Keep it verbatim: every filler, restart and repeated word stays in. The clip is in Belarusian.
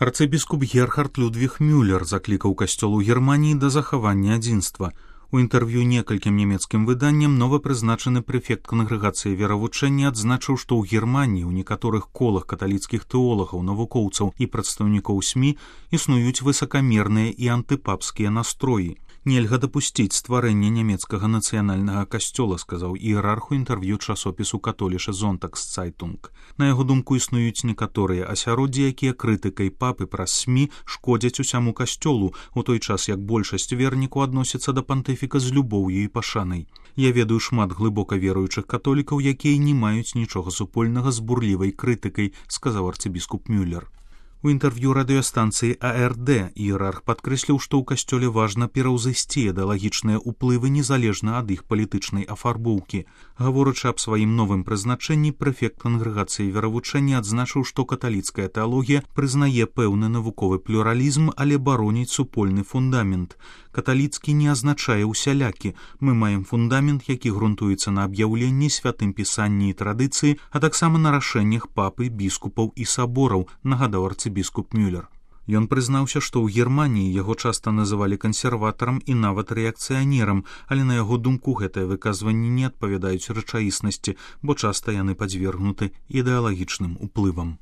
Арцыбіскуп Герхард Людвіг Мюллер заклікаў касцёл у Германіі да захавання адзінства. У інтэрв'ю некалькім нямецкім выданням новапрызначаны прэфект кангрэгацыі веравучэння адзначыў, што ў Германіі ў некаторых колах каталіцкіх тэолагаў, навукоўцаў і прадстаўнікоў СМІ існуюць высакамерныя і антыпапскія настроі. Нельга дапусціць стварэння нямецкага нацыянальнага касцёла, сказаў іерарх у інтэрв'ю часопісу католіша Зонтагсцайтунг. На яго думку, існуюць некаторыя асяроддзі, якія крытыкай папы праз СМІ шкодзяць усяму касцёлу, у той час як большасць вернікаў адносіцца да пантыфіка з любоўю і пашанай. Я ведаю шмат глыбока веруючых католікаў, якія не маюць нічога супольнага з бурлівай крытыкай, сказаў арцыбіскуп Мюллер. У інтэрв'ю радыёстанцыі А Р Д іерарх падкрэсліў, што ў касцёле важна пераўзысці ідэалагічныя ўплывы незалежна ад іх палітычнай афарбоўкі. Гаворачы аб сваім новым прызначэнні, прэфект кангрэгацыі веравучэння адзначыў, што каталіцкая тэалогія прызнае пэўны навуковы плюралізм, але бароніць супольны фундамент. Каталіцкі не азначае ўсялякі. Мы маем фундамент, які грунтуецца на аб'яўленні, святым пісанні і традыцыі, а таксама на рашэннях папы, біскупаў і сабораў, нагадаў арцыбіскуп Мюллер. Ён прызнаўся, што ў Германіі яго часта называлі кансерватарам і нават рэакцыянерам, але на яго думку гэтыя выказванні не адпавядаюць рэчаіснасці, бо часта яны падзвергнуты ідэалагічным уплывам.